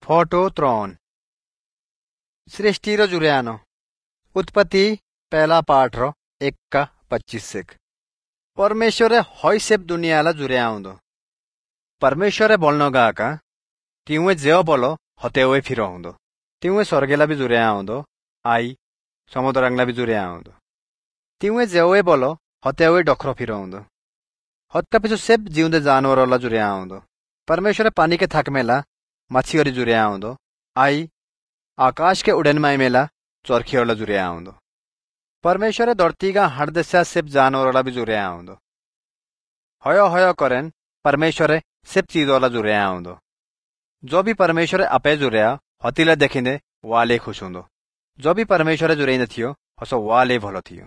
Photo 3 सृष्टि रो जुर्यानो उत्पत्ति पहला पाठ रो 1:25। परमेश्वरे हय सेब दुनियाला जुर्याउंदो। परमेश्वरे बोलनो गाका तिउए जेओ बोलो हतेवे फिरोउंदो। तिउए स्वर्गेला भी जुर्याउंदो आई समुद्रंगला भी जुर्याउंदो। तिउए जेओए बोलो हतेवे डोखरो फिरोउंदो। हत्का पिछु सेब जिउंदे जानवरला जुर्याउंदो। परमेश्वरे पानी के थक मेला मच्छीओरी जुर्याउंदो आई आकाश के उड़न माई मेला चरखियोला जुर्याउंदो। परमेश्वरे धरती का हर दशा सिर्फ जानवरोला भी जुर्याउंदो। हयो हयो करेन परमेश्वरे सिर्फ चीजोला जुर्याउंदो। जो भी परमेश्वरे अपे जुर्या हतीला देखिने वाले खुश हुंदो। जो भी परमेश्वरे जुर्याइंदो थियो हसो वाले भलो थियो।